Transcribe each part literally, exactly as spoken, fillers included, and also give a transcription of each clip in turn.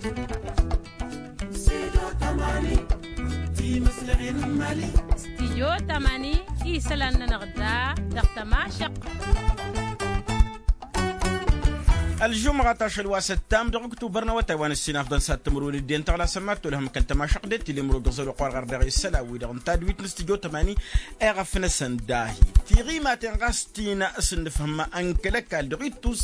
Studio tămani isălan-nănăɣ da dăɣ-tămašăq. Ălžumɣa tašăl wa s-ăttam dăɣ-ǝktubăr n-awătay wa n-ǝssin afḍăn s-ad-timǝrwen ǝddin tăɣlasăn mad-tolhăm kăl-tămašăq d-tilǝmrog ăẓăl oqor ɣar dăɣ-isălan-wi-dăɣ n-tadwit n-studio tămani. Eɣăf-năsăn dahi tiɣimaten ɣas tină s-nǝfhǝm ănkăl ăkall dăɣ-ittus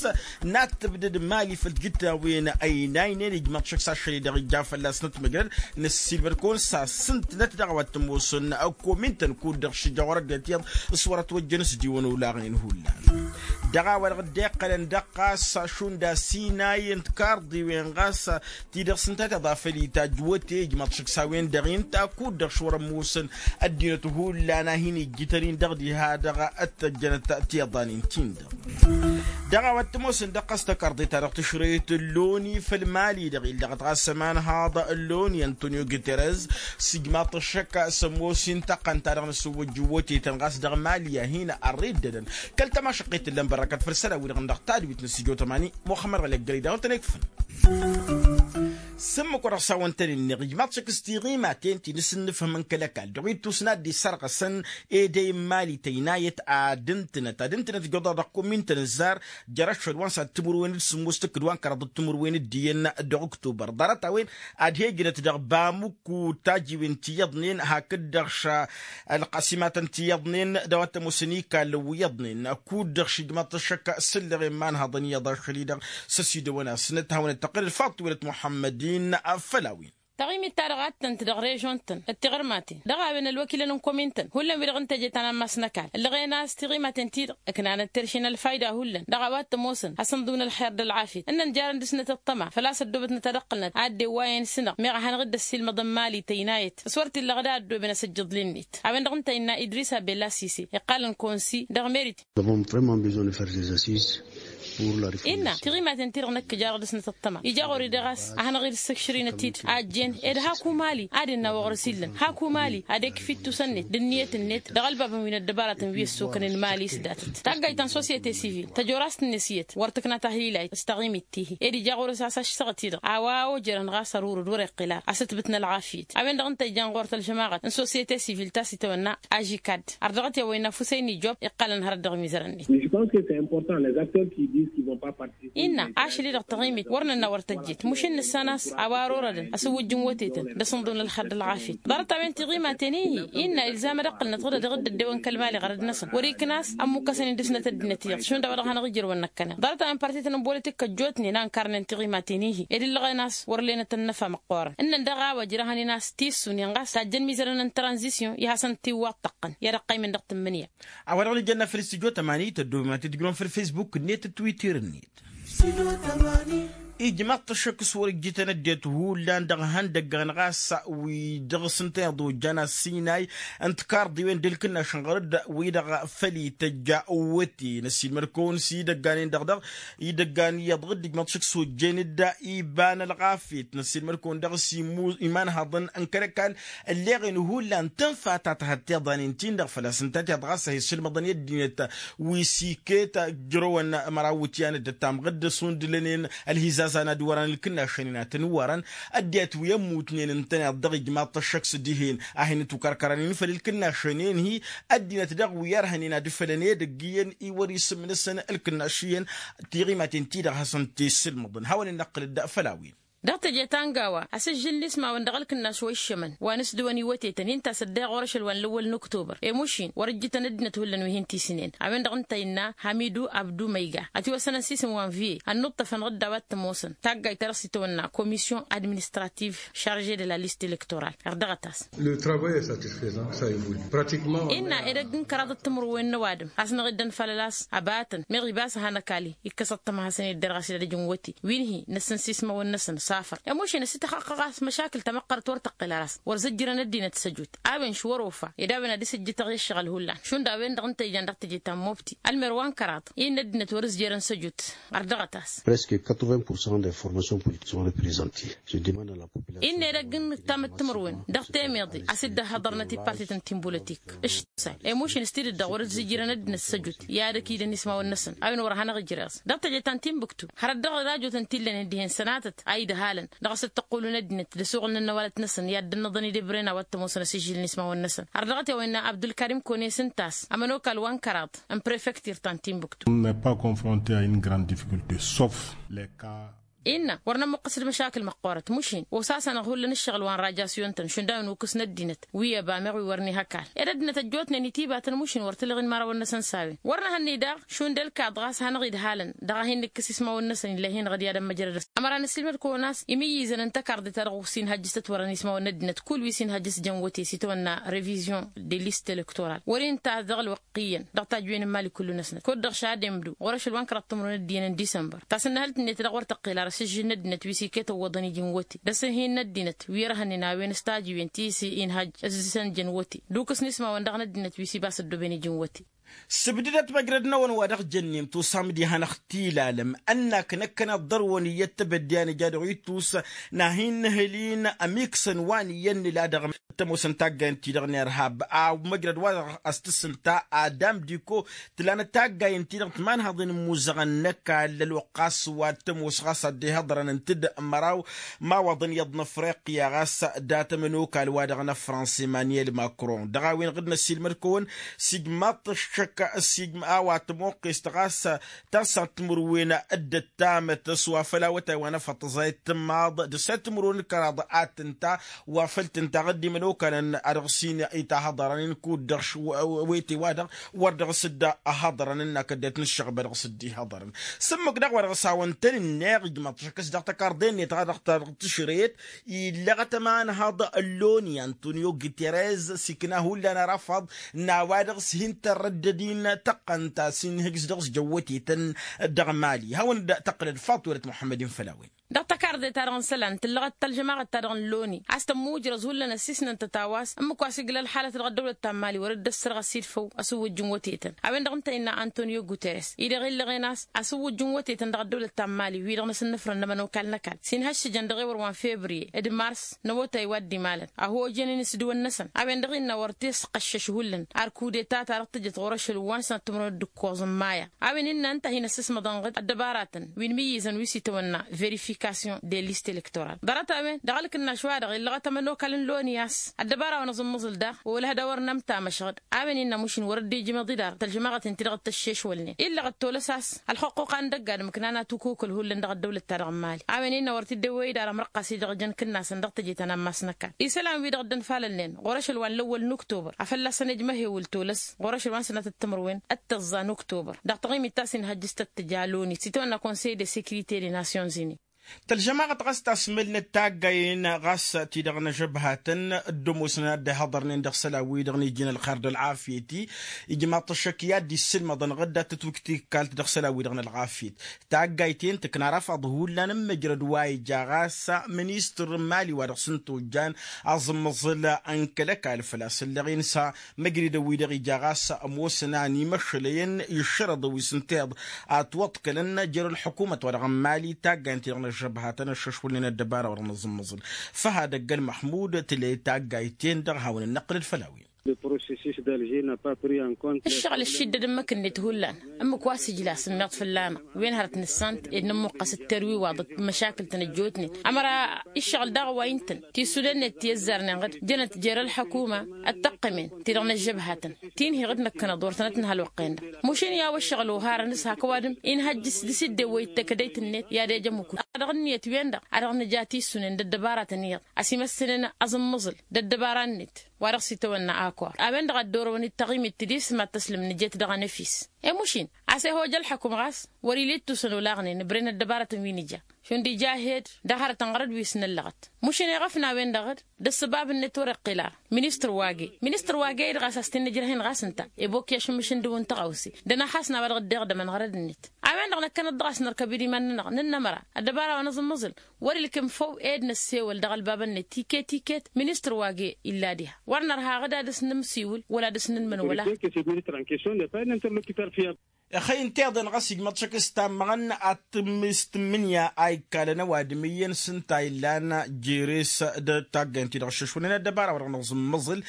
n-ad-tǝbdăd mali făll-tijǝtawin ăynaynen ijmăḍ šăkk s-ašăl-i-dăɣ ija fălla-s nătmăjrăd. Năssiilmăd-kăwăn s-asǝnt-năt dăɣ-a-wa t-ămoosăn ăkkomin-tăn kud-dăɣ šijăɣ wăr-ăddinăt iyyăḍ s-wăr-ătwăjjăn s-diwăn olaɣnen hullan. Dăɣ-a-wa-dăɣ dd-iqqălăn dăɣ-ɣas šund asinay n-tikarḍiwen ɣas ti-dăɣ s-ǝnta tiḍa făll-itajj wăte ijmăḍ šăkk s-a-wen-dăɣ-inta kud-dăɣ šwăr-ămoosăn ăddinăt hullan a hin-ijjǝtăn-in dăɣ-diha-dăɣ ăttăjjănăt tiḍanen-tin-dăɣ. Dăɣ-a-wa t-ămoosăn dăɣ-ɣas tăkarḍe-ta-dăɣ tǝšrăyăt ălloni făll-mali-dăɣ illa dăɣ-t ɣas ămanhaḍ ălloni antonio guterres s-ijmaḍ-t ăššăk s-ămoos-in tăqqăn-ta-dăɣ n-asǝwwăjjǝw wătetăn ɣas dăɣ-mali a hin-ărreddădăn kăl-tămašăqqet tǝllăn bărrăkăt făll-isălan-wi-dăɣ dăɣ-tadwit n-studio tămani. Muxămmăd ɣălek gări dawăn-tăn-ikfăn s-ǝmmǝk wa dăɣ-s hawăn-tăn-innăɣ ijmaḍ-t šăkk s-tiɣimaten ti n-asǝnnǝfhǝm n-kăl-ăkall dăɣ-ittus n-ad-dd-isărɣăsăn edăy n-mali tăynayăt ad-ǝntǝnăt ad-ǝntǝnăt ǝjjuḍăɣ dăɣ-komin-tăn ǝzzar jer-ašăl wa n-sad-timǝrwen d-sǝmmos tǝkkǝd wa n-kăraḍăt timǝrwen d-iyyăn dăɣ-oktubăr ḍarăt-a-wen ad-he-ǝjnăt dăɣ-bamuk kud-tajiwen ti iyyăḍnen hakd-dăɣ š-ălqasimatăn ti iyyăḍnen d-a-wa t-ămoosăn ikallăn wi iyyăḍnen kud-dăɣ šijmaḍ-t ăššăk s-ǝllăɣen imanhăḍăn iyyăḍ ašăl-i-dăɣ s-ăsidăwăn-asnăt hawăn-dd-tăqqǝlăd faḍt tiwălăt muḥămmăd-in. Făll-a-wen taɣimit-ta-dăɣ ad-tăn-tdăɣ režon-tăn d-tiɣărmaten dăɣ-a-wen ălwăkilăn n-komin-tăn hullan wi-dăɣ ǝnta eje ta n-ammas n-ăkall ǝllăɣen a-s tiɣimaten-ti-dăɣ ǝknanăt terše n-ălfayda hullan dăɣ-a-wa t-ămoosăn hasăn-ḍǝwǝn ălxer d-ălɣafyăt ǝnnăn jarăn dăɣ-snăt ăṭṭăma făl-a-s ăddoobătnăt ad-ăqqǝlnăt ad-dd-ewwayăn s-năɣ meɣ a hanăɣ-dd-ăssiilmăḍăn mali tăynayăt s-wăr t-illa ɣǝd a ăddooben asǝjjǝḍ-net. A-wen-dăɣ ǝnta innă idrisa bella sise iqqalăn konsi dăɣ-merit. Nous avons vraiment besoin de faire des assises. Innă tiɣimaten-ti-dăɣ năkk jarăɣ dăɣ-snăt ăṭṭăma ija ɣur-i dăɣ-a-s a hanăɣ-dd-ǝssǝkšărinăt-dd a ăjjeen ed haku mali ad-innă wa ɣur-s illăn haku mali ad-ekf ittusăn-net d-ǝnniyăt-net dăɣ-ălbabăn wi n-ăddăbaratăn wi ăssokănen mali s-datăt taggayt ta n-sosyete sivil tăjorast-net iyyăt wăr tǝkna tahlilayt s-taɣimit tihi ed ija ɣur-s a-s ašsăɣăt-i-dăɣ a-wa ojărăn ɣas ărurǝd wăr-iqqǝl ara asǝtbǝt n-ălɣafyăt. A-wen-dăɣ ǝnta ijan ɣur-tălžămaɣăt n-sosyete sivil ta s-itawănna ažikad ardăɣăt i-a-wa innă ăfusa-in ijwăb iqqălăn hărăt dăɣ-imizărăn-net. Innă ašăl-i-dăɣ taɣimit wăr nănna wăr tăjjet mušǝn nǝssan a-s a-wa ărorădăn asǝwwǝjj n-wătetăn d-asǝnḍǝw n-ălxer d-ălɣafyăt ḍarăt-a-wen tiɣimaten-i-hi innă ilzam ad-ăqqǝlnăt ɣǝdăd dăɣ-dd-ăddewăn kăl-mali ɣărăd-năsăn wăr-ikna a ămmukkăsăn-in dăɣ-snăt ăddinăt-i-dăɣ šund a-wa dăɣ-hanăɣ-ijrăwăn năkkăneḍ ḍarăt-a-wen partit n-ăbbolăt ikkăjjootnen a ǝnkarnen tiɣimaten-i-hi ed ǝllăɣen a-s wăr lenăt ănnăfa măqqoorăn ǝnnăn daɣ a-wa ǝjrăhăn-in a-s tissunen ɣas tajjăn mizărăn n-tranzisyon i-hasăn-t-iwwaḍ tăqqăn i-ad-ăqqaymăn dăɣ-tǝmmǝnǝya. A-wa dăɣ-nǝjănna făll-studyo tămani tăddoobem ad-t-dd-ǝjrǝwăn făll-fesbuk-net d-twitter-net. Ijmaḍ-t ăššăk s-wăr-ǝjjǝtăn ăddinăt hullan dăɣ-ihăndăggan ɣas wi dăɣ-s ǝntăneḍ ojjan asinay n-tikarḍiwen d-ǝlkǝnnašăn ɣur-dd wi-dăɣ făll-ităjja. Wăte năssiilmăd-kăwăn s-idăggan-en-dăɣ dăɣ-idăggan iyyăḍ dd-ǝjmaḍ-t ăššăk s-ojjen-dd iba n-ălɣafyăt năssiilmăd-kăwăn dăɣ-s imanhăḍăn n-kăl-ăkall ălleɣen hullan tǝnfa ta tăhăt tiḍanen-tin-dăɣ făl-a-s ǝnta tiḍ ɣas a hi-sǝlmăḍăn i-ăddinăt wi s-iket ǝjrăwăn măraw iwǝtyan dd-ăttamɣ dd-ăsundǝlănen ălhizaza n-ad-wărăn ǝlkǝnnašăn-in ad-tăn-wărăn ăddinăt wi ămmutnen ǝntăneḍ dăɣ-ijmaḍ-t ăššăk s-dihen a hin-ǝtwǝkărkărăn-in făll-ǝlkǝnnašăn-en-hi ăddinăt daɣ wi ărhănen ad-ǝfălăn edăgg iyyăn i-wăr-isǝm-năsăn ǝlkǝnnaš iyyăn tiɣimaten-ti-dăɣ hasăn-t-isǝlmăḍăn hawăn-in-năqqǝlăd făll-a-wen. Dăɣ-teje ta n-gawa asǝžžǝl n-ismawăn dăɣ-ălkǝnnaš wa iššămăn wa n-asdǝwăn iwătetăn inta s-ăddăyăɣ orăšăl wa n-lăwwăl n-oktobăr i-mušin wăr-ǝjjǝtăn ăddinăt hullan wi hin-tisǝnen. A-wen-dăɣ ǝnta innă hamidu abdu măyga ătiwăssănăn s-isǝm wa n-viye ănnuṭṭăfăn ɣǝdda wa t-ămoosăn taggayt ta dăɣ-s itawănna komisyon administrativ šarže de la liste elektoral. Erdăɣăt-as. Innă edăgg n-kăraḍăt timǝrwen n-ăwadǝm a-s năɣ-dd-ănfalăl a-s ăbatăn meɣ ibas a hanăkali ikkăs ăṭṭăma hasăn-ed derɣas idădăj n-wăte wi n-hi-năsăn s-ismawăn-năsăn s-afăr. Ămušen ăsităxăqqăɣ a-s măšakǝl tamăqqărăt wăr tăqqǝl ara a-s wăr zǝjjărăn ăddinăt s-ăjut a-wen š-wăr-ofa ed a-wen ad-dăr-s ǝjjǝtăɣ i-ăššăɣǝl hullan šund a-wen-dăɣ ǝnta ijan dăɣ-teje ta n-mobti ălmer wa n-kăraḍ i-innă ăddinăt wăr-ǝzjerăn s-ăjut. Ărdăɣăt-as. Presque quatre-vingts pour cent des formations politiques sont représentées. Innă edăgg n-ǝttam d-timǝrwen dăɣ-temeḍe a-s dd-ăhhăḍărnăt i-partit n-tinbulătik. Ǝššăk s-a-i ămušin s-tidǝt-dăɣ wăr-ǝzzǝjjǝrăn ăddinăt s-ăjut i-ad-ăkidăn ismawăn-năsăn a-wen wăr hanăɣ-ijreẓ dăɣ-teje ta n-tinbǝktu hărăt dăɣ-rajotăn ti ǝllănen dihen sănatăt a idăh. Halăn dăɣ-s dd-tăqqulu n-ăddinăt d-asuɣǝl n-ănnăwalăt-năsăn i-ad-dd-ănnăḍăn idebren a-wa t-ămoosăn asǝžžǝl n-ismawăn-năsăn. Ărdăɣăt i-a-wa innă abdulkarim kone s-ǝnta a-s ămănokal wa n-kăraḍ n-prefektir ta n-timbuktu. N-e pas confronte a in grand difficulté sof les cas. Innă wăr nămmuqqăs d-măšakǝl măqqoorăt mušin osasanăɣ hullan ǝššăɣǝl wa n-rajasyon-tăn šund a-wen ukǝs n-ăddinăt wi ăbameɣ wi wăr n-ihăkal ed ăddinăt ăjjootnen itibatăn mušin wăr tǝlleɣ inmărawăn-năsăn s-a-wen wăr nǝhănned-aɣ šund ălkaḍ ɣas hanăɣ-idhalăn dăɣ-a hin-nǝkkǝs ismawăn-năsăn ill'-e-hin-dăɣ d-i-ad-ămmăjrăd. Ămăra nǝssilmăd-kăwăn a-s imǝyyǝzăn n-tăkarḍe-ta-dăɣ s-inhăjjǝs tătwărăn ismawăn n-ăddinăt kull wi s-inhăjjǝs jăn wăte s-itawănna revision de liste electorale wăr-inta dăɣ-ălwăqq iyyăn dăɣ-tajjǝwen n-imali kullu-năsnăt kud-dăɣ šademdu ɣur-ašăl wa n-kăraḍ timǝrwen d-iyyăn n-disămbăr. Tasǝnnăhălt-net dăɣ-wăr tăqqel ar asǝžžǝl n-ăddinăt wi s-iket ăwwăḍăn iji n-wăte d-asǝnhi n-ăddinăt wi ărhănnen a-wen s-tajjǝwen ti s-inhăjj ăzzǝsăn jăn wăte d-ukǝs n-ismawăn dăɣ-năddinăt wi s-ibas ăddooben iji n-wăte. Sǝbdǝdăt măjrăd-năwăn wa dăɣ-jănnem tusam d-ihănăɣ tilalăm ănn-ak năkkăneḍ dăr-wăn iyyăt tebădde a nǝja dăɣ-ittus n-ad-hin-nǝhǝl-in ămiksăn wa n-iyyăn nǝla dăɣ-tămoosăn taggayen-ti-dăɣ n-irhab a măjrăd wa dăɣ-s tǝssǝnta adam diko. Tǝlanăt taggayen-ti-dăɣ timanhaḍen n-imuzăɣăn n-ăkall ălwăqq a-s wa t-ămoos ɣas ad-dd-ihăḍrăn ǝnta d-măraw imawaḍăn iyyăḍ n-afriqya ɣas dat-ămănokal wa dăɣ-năfrăns emmanuel macron dăɣ-a-wen ɣǝd-năsilmăd-kăwăn. Sijmaḍ-t ăššăk sijm a-wa tămoqqest ɣas tasat timǝrwen d-ăttamăt s-wa făl awătay wa n-afăṭṭăẓ a itǝmmaḍ d-săt timǝrwen d-kăraḍ ad-tǝnta wa făl tǝnta ɣǝddim ănokalăn a dăɣ-s-in itahăḍărăn-in kud-dăɣ wete-wa-dăɣ wăr dăɣ-s dd-ăhăḍărăn ǝnn-ak ăddinăt n-ǝššăɣba dăɣ-s dd-ihăḍărăn. S-ǝmmǝk daɣ wa dăɣ-s hawăn-tăn-ǝnneɣ ijmăḍ-t ašăk s-dăɣ tăkarḍe-net ɣas dăɣ-tăɣ tǝšret. Illeɣăt ămanhăḍ ălloni antonio guterres s-ikna hullan arafăḍ n-a-wa dăɣ-s hin-tărrăddăd-in tăqqăn ta s-inhǝjǝs dăɣ-s jăwwătetăn. Dăɣ-mali hawăn-dd-tăqqǝlăd faḍt welăt muḥămmăd-in făll-a-wen. Dăɣ-tăkarḍe-ta-dăɣ n-isălan tǝllăɣăt tălžămaɣăt-ta-dăɣ n-loni a-s tămmuujrăz hullan ăssisnăn-tăt a-wa s-ǝmmǝk wa s-iglă ălxalăt dăɣ-ăddăwlăt ta n-mali wăr dd-ăssărɣăs idfăw ăsǝwwǝjj n-wătetăn. A-wen-dăɣ ǝnta innă antonio guterres-i-dăɣ illăɣen a-s asǝwwǝjj n-wătetăn dăɣ-ăddăwlăt ta n-mali wi-dăɣ n-asǝnnǝfrăn n-ămănokal n-ăkall s-inhăššǝjăn dăɣ-ewăr wa n-fevriye d-mars n-awătay wa dd-imalăn a hojănen s-dăwăn-năsăn. A-wen-dăɣ innă wăr t-e-s qăššăš hullan ar kudeta ta dăɣ-tǝjăt ɣur-ašăl wa n-sănăt timǝrwen d-ǝkkoẓ n-maya. A-wen innă ǝnta a hin-ăssismăḍăn ɣǝd ăddăbaratăn wi n-imǝyyǝzăn wi s-itawănna verifikasyon de liste elektoral ḍarăt-a-wen dăɣ-ălkǝnnaš-wa-dăɣ illăɣăt ămănokal n-loni a-s ăddăbara wa n-aẓǝmmǝẓǝl daɣ olăhăd a wăr nămta măšɣăd. A-wen innă mušin wăr dd-ijmăḍ-dd ar tălžămaɣăt-in-ti-dăɣ d-tăššešwălnen illăɣăt tolăs a-s ălxăqquqa n-dăgg-adǝm ǝknan atukokăl hullan dăɣ-ăddăwlăt-ta-dăɣ n-mali. A-wen innă wăr t-dd-ewwăy-dd ar ămrăqqas-i-dăɣ jăn kǝnnasăn dăɣ-teje ta n-ammas n-ăkall isălan-wi-dăɣ dd-ănfalălnen ɣur-ašăl wa n-lăwwăl n-oktobăr a fălla-săn ejmăhewǝl tolăs ɣur-ašăl wa n-sănatăt timǝrwen d-tăẓẓa n-oktobăr dăɣ-taɣimit ta s-inhăjjǝs tăt-tǝja loni s-itawănna konsey de sekirite de nasyon-ini. Tălžămaɣăt ɣas tasmǝlnăt taggayen ɣas ti-dăɣ n-ažăbhatăn dd-ămoosnăn ad-dd-ihaḍărnen dăɣ-isălan-wi-dăɣ n-ijjǝn ălxer d-ălɣafyăt-i. Ijmaḍ-t ăššăk i-ad-dd-isǝlmăḍăn ɣǝdda tătwǝjt tikkalt dăɣ-isălan-wi-dăɣ n-ălɣafyăt. Taggayt-en tǝkna rafaḍ hullan n-măjrăd wa ija ɣas ministăr n-imali wa dăɣ-s n-tojjan aẓǝmmăẓǝl n-kăl-ăkall făl-a-s ǝlleɣ-in s-măjridăn-wi-dăɣ ija ɣas ămoosăn a ănimăšălăyăn iššărăḍăn wi s-ǝnta iyyăḍ. Ătwăḍkălăn jer-ălḥukumăt wa dăɣ-n imali taggayen-ti-dăɣ n-ăžžăbhatăn ăššăšwălnen ăddăbara wa dăɣ-nǝẓǝmmăẓǝl. Făhad ăgg-ălmăxmud tǝla i-taggayt-en-dăɣ hawăn-ănnăqqǝlăd făll-a-wen. Ǝššăɣǝl ǝššiddăd ǝmmǝk-net hullan ǝmmǝk wa s-ǝjla sǝmmiḍ fǝlla-năɣ wen hărăt nǝssan-t ed nǝmmuqqăs d-terwiwaḍăt d-măšakǝl-tăn ăjjootnen. Ămăra iššăɣǝl daɣ wa ǝnta-n tisunen-net ti ăzzarnen ɣǝd jănăt jer-ălḥăkuma ăttăqqămen ti-dăɣ n-ăžžăbhatăn ti n-hi-ɣǝd năkkănăḍ wăr tănăt-nǝhăl wăqqen-dăɣ. Mušin i-a-wa ǝššăɣǝl oharăn s-hak ăwadǝm inhăjj s-dd-sǝddewăy d-tăkădăyt-net i-ad-ejăm ukǝn dăɣ-ǝnniyăt-wen-dăɣ a dăɣ-nǝja tisunen d-ăddăbaratăn iyyăḍ ăsimăssănen aẓǝmmăẓǝl d-ăddăbara-net. Wa dăɣ-s itawănna akor a-wen-dăɣ a dd-orăwăn d-taɣimit tidis mad-tăslǝm nǝjet dăɣ-enăfis. I-mušin a-s ihoj ălḥăkum ɣas wăr-ila ittusăn olaɣnen ǝbren ăddăbarătăn wi nǝja šund ija ahed dăɣ-hărătăn ɣărăt wi s-năllăɣăt. Mušin iɣăf n-a-wen-dăɣ dd-ăssăbab-net wăr-iqqǝl ara. Ministăr wa ge ministăr wa ge-i-dăɣ a-s a-s t-innă ǝjrăh-in ɣas ǝnta ibokk i-ašǝmmǝš n-dăw n-tăɣawse d-ănaxas n-a-wa dăɣ-dd-iɣdămăn ɣărăd-net. A-wen-dăɣ năkkăneḍ-dăɣ a-s nărkăb i-dd iman-nănăɣ n-innă ămăra ăddăbara wa n-aẓǝmmăẓǝl wăr-ilkǝm făw ed năssewăl dăɣ-ălbabăn-net tiket-tiket ministăr wa ge illa diha wăr nărha ɣǝd ad-dăɣ-s nǝmsiwǝl wăla ad-dăɣ-s nǝnmăn wăla. Ixăyy n-tiḍen ɣas ijmaḍ šăk s-tammăɣăn ad-tǝmmǝs tǝmmǝnǝya a ikkalăn ăwadǝm iyyăn s-ǝnta illan jere-s d-taggaynt-ti-dăɣ ǝššăšwănen ăddăbara-wa-dăɣ nǝẓǝmmăẓǝl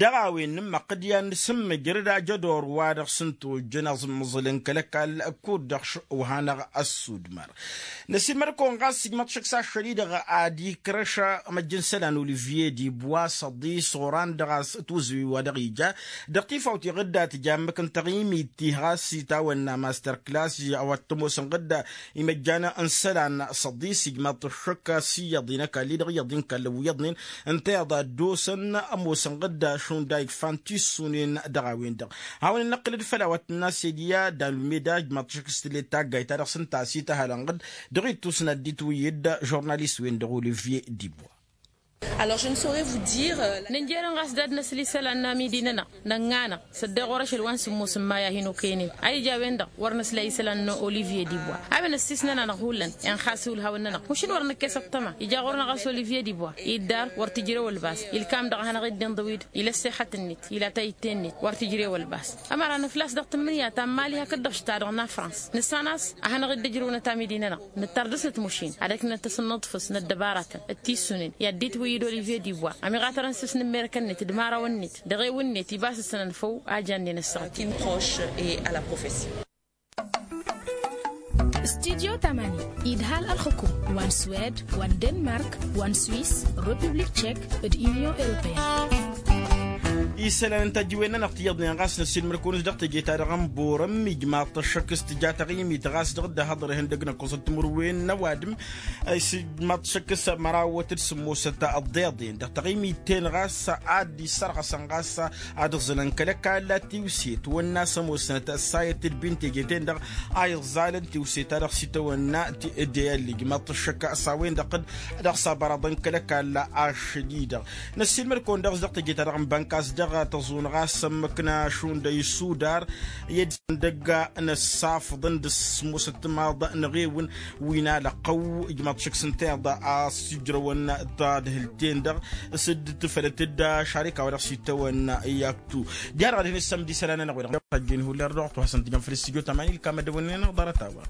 dăɣ-a-wen nǝmmăqqǝd i-ad-nǝsǝmmǝjrăd ajădor-wa-dăɣ s-ǝnta ojjăn aẓǝmmăẓǝl n-kăl-ăkall kud-dăɣ š-wa hanăɣ-ăssudmăr. Năsiilmăd-kăwăn ɣas ijmaḍ šăk s-ašăl-i-dăɣ ad-ikrăš măjj n-isălan olivye dibwa s-ăḍis oran dăɣ-a-s ătwǝzǝwi wa dăɣ-ija dăɣ-tifawt iɣǝdda tǝja ǝmmǝk n-taɣimit ti ɣas itawănna master klass a-wa t-ămoosăn ɣǝdda imăjjan n-isălan s-ăḍis ijmaḍ-t ăššăk s-iyyăḍ-i n-ăkall-i-dăɣ iyyăḍ-i n-kallăn wi iyyăḍnen ǝnta iyyăḍ a dd-osăn ămoosăn ɣǝdda šund a ikfan tissunen dăɣ-a-wen-dăɣ. Hawăn-in-năqqǝlăd făll-a-wa t-tǝnna s-edǝya d-almeda ijmaḍ-t ăššăk s-tǝllet taggayt-ta-dăɣ s-ǝnta a-s ităhalăn ɣǝd dăɣ-ittus n-ad-dd-itwǝyyǝd d-žurnalist-wen-dăɣ olivye dibwa. Alors je ne saurais vous dire. Nǝnjerăn ɣas d-ad-năsǝl isălan n-amidi-nănăɣ nănɣa-năɣ s-ăddeɣ ɣur-ašăl wa n-sǝmmos n-maya a hin-okăynen a ija a-wen-dăɣ wăr năsla isălan n-olivye dibwa a-wen ăssisnăn-anăɣ hullan. Inxas i-ulhawăn-nănăɣ mušǝn wăr nǝkkes ăṭṭăma ija ɣur-năɣ a-s olivye dibwa iddar wăr tǝjrew ălbas ilkam dăɣ-a hanăɣ-dd-inḍǝw-dd ila ăssexăt-net ila tayǝtte-net wăr tǝjrew ălbas. Ămăra nǝflas dăɣ-tǝmmǝnǝya ta n-imali hakd-dăɣ šta dăɣ-nafrans nǝssan a-s ad-hanăɣ-dd-ǝjrǝwnăt amidi-nănăɣ nǝttar dăr-snăt mušin ad-ăknăt asǝnnǝḍfǝs n-ăddăbaratăn d-tissunen i-ad-dd-itwǝyyǝd olivye dibwa ămiɣatărăn s-s n-ǝmmerekăn-net d-imărawăn-net dăɣ-ewǝn-net ibas ǝssănăn făw a jannen ăssaɣăt. Qui me proche et à la profession. Studyo tamani idhal ălxǝkum wa n-swed wa n-denmark wa n-swis, republik tchek d-union europeyenne. Isălan n-tajǝwen-nănăɣ tiyyăḍnen ɣas năssiilmăr-kăwăn-s dăɣ-teje-ta-dăɣ n-borăm ijmaḍ-t ăššăk s-tǝja taɣimit ɣas dăɣ-dd-ăhăḍăr ihăndăg n-ăkkoẓăt timǝrwen n-ăwadǝm. Ijmaḍ-t ăššăk s-mărawăt d-sǝmmosăt ăḍḍeḍen dăɣ-taɣimit-ten ɣas ad-dd-issărɣăsăn ɣas ad-ǝẓǝlăn kăl-ăkall tiwse tawănna s-ămoosnăt ăssayăt d-bin teje-ten-dăɣ a iẓẓalăn tiwse-ta-dăɣ s-itawănna. Ti dd-ellij măṭṭăššăk s-a-wen-dăɣ-dd dăɣ-s abăraḍăn kăl-ăkall ašăl-i-dăɣ. Năssiilmăd-kăwăn dăɣ-s dăɣ-teje-ta-dăɣ n-bănkas dăɣ-tăẓun ɣas ămmăk n-ašund isudar i-dd-săndăgga n-ăssafăḍăn d-smusăt timaḍ n-eɣewǝn wi n-alăqqăw. Ijmaḍ šăkk s-ǝnta iḍa a-s ijrăwăn tadhǝlt-en-dăɣ s-dd-tǝfălăt-dd ašarika wa dăɣ-s itawănna i-aktu. Diha-dăɣ ad-hin-issăm d-isălan-nănăɣ wi-dăɣ ăjjeen hullan dăɣ-wa t-wa hasăn-tǝjăm făll-studyo tamani ǝlkam ad-dăwănnen ănăɣ ḍarăt-a-wa.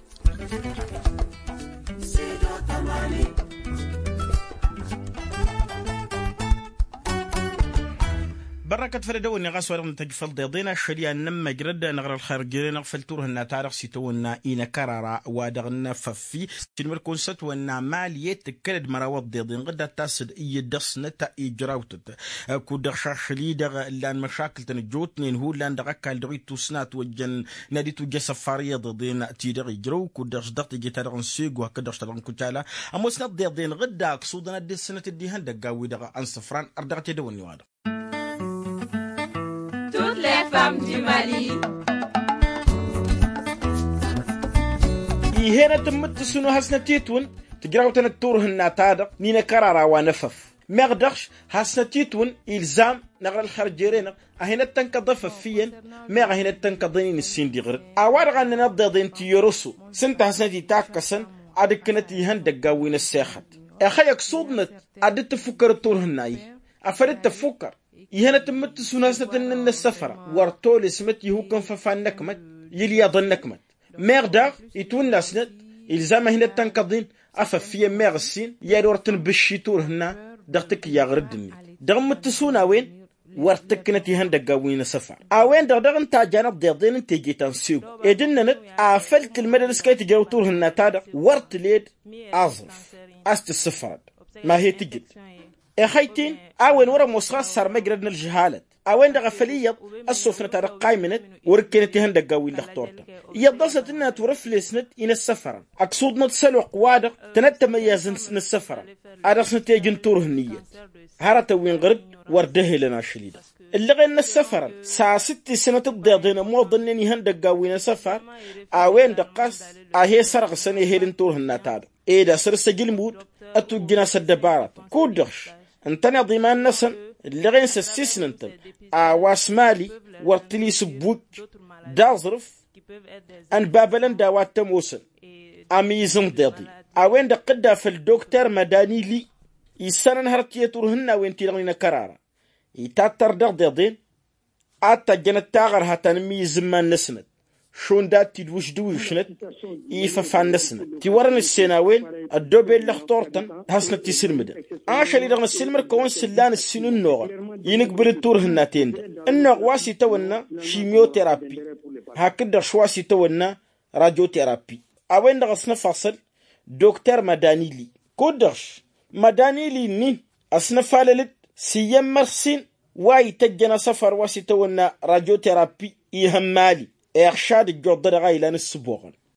Bărrăkăt făll-edăwănni ɣas wa dăɣ-nǝtăjj făll-deḍen ašăl i-ad-nămmăjrăd năɣra ălxer jeren-anăɣ făll-turhǝnna-ta-dăɣ s-itawănna inăkărara wa dăɣ-năfăffi. Sinmăr-kăwăn s-ătwănna mali i-tǝkkălăd măraw ăḍḍeḍen ɣǝdda tasăd iyyăt dăɣ-snăt ijrawtăt. Kud-dăɣ šašăl-i-dăɣ ǝllan măšakǝl-tăn ăjjootnen hullan dăɣ-ăkall dăɣ-ittusna ătwăjjăn n-ad-itwǝjj asăfar i-iḍeḍen ti-dăɣ ijrăw kud-dăɣ s-dăɣ teje-ta-dăɣ n-sego hakd-dăɣ s-ta-dăɣ n-kucala. Ămoosnăt iḍeḍen ɣǝdda ăksuḍăn ad-dd-ǝssǝnăt d-ihăndăggan-wi-dăɣ n-isǝfran ărdăɣăt i-dăwănni-wa-dăɣ. Toutes les femmes du Mali. Ih'-en ătǝmmǝttǝsǝn u-hasnăt-itwǝn tǝjrawtăn d-turhǝnna-ta-dăɣ n-inăkărara wa n-efăf. Meɣ dăɣ-š hasnăt-itwǝn ilzam năɣra ălxer jere-năɣ a hin-ăttănkăḍ efăf iyyăn. Meɣ a hin-ăttănkăḍăn-in ǝssin d-iɣrǝd a-wa-dăɣ a ǝnnăn ăḍḍeḍen ti yăroso s-ǝnta hasnăt-itakkăsăn ad-ǝkkǝnăt ihăndăggan wi n-ăssexăt. Ixăyy ăksuḍnăt ad-dd-tǝffukkărăt turhǝnna-i afăl dd-tăffukkăr ih'-en ătǝmmǝttǝsǝn hasnăt ǝnnăn n-ăssăfăra wăr tolesmăt ihukk n-făfan n-ăkmăt i-ǝlyaḍăn n-ăkmăt. Meɣ daɣ itwǝnnasnăt ilzam a hin-ăttănkăḍ-in afăf iyyăn meɣ ǝssin i-ad-wăr tǝnbǝšši turhǝnna dăɣ-tikǝyyaɣ rǝdd-net. Dăɣ-imǝttǝsun a-wen wăr tǝkkǝnăt ihăndăggan wi n-asăfar a-wen-dăɣ daɣ ǝnta a jan ăḍḍeḍen n-teje ta n-sego ed ǝnnănăt afăl tǝlmădăd s-kăy-tǝjrăw turhǝnna-ta-dăɣ wăr tǝled aẓrǝf a-s tǝssǝfrăd ma he-tǝjǝd. Ixăyt-in a-wen wăr-ămoos ɣas sarmăjrăd n-ălžăhalăt a-wen-dăɣ a făl iyyăḍ ăssofnăt ad-ăqqaymǝnăt wăr-ǝkkenăt ihăndăggan wi n-lăxturtăn. Iyyăḍ dăɣ-snăt ǝnnănăt wăr-ăflesnăt-in ăssăfărăn ăksuḍnăt s-ălwăqq-wa-dăɣ tănăttămăyyazăn n-ăssăfărăn ad-dăɣ-snăt ejǝn turhǝn iyyăt. Hărătăn wi n-ɣăr-dd wăr dd-ehălăn ašăl-i-dăɣ ǝllăɣen n-ăssăfărăn s-asǝttǝsnăt ǝḍḍeḍen ămoḍănnen ihăndăggan wi n-asăfar a-wen-dăɣ ɣas a he-sărɣǝsăn ehel n-turhǝnna-ta-dăɣ ed asăr s-ăjǝlmud ătwǝjjǝn a-s ăddăbaratăn kud-dăɣ š-ǝntăneḍ iman-năsăn ǝllăɣen s-ăssisnăn-tăn a-wa s-mali wăr tăn-isǝbbuj d-aẓrǝf. Ănbabălăn d-a-wa t-ămoosăn amǝyyǝz n-iḍeḍ-i a-wen-dăɣ tǝdda făll-dokter mădani li issănăn hărăt i-turhǝnnawen-ti-dăɣ n-inăkărara itattăr dăɣ-iḍeḍen ad-t-ăjjănăt taɣărha ta n-amǝyyǝz n-iman-năsnăt. šund ad-t-dd-wǝždǝw išnăt i-ifăfan-năsnăt ti wărăn ǝssen a-wen ăddooben lăxtur-tăn. Hasnăt-isǝlmǝdăn ašăl-i-dăɣ năssiilmăd-kăwăn s-ǝllan ǝssin ǝnnuɣăn inǝgbǝl d-turhǝnna-ten-dăɣ. Ǝnnuɣ wa s-itawănna šimyoterapi hakd-dăɣ š-wa s-itawănna radioterappi. A-wen-dăɣ ăsnăfasăl dokter madanili kud-dăɣ š-madanili-nin ăsnăfalăl-dd s-iyyăn mărsin wa ităjjăn asăfar wa s-itawănna radioterappi ihămmali iɣšad ǝjjuḍ-dăɣ a ilan ǝssǝboɣăn.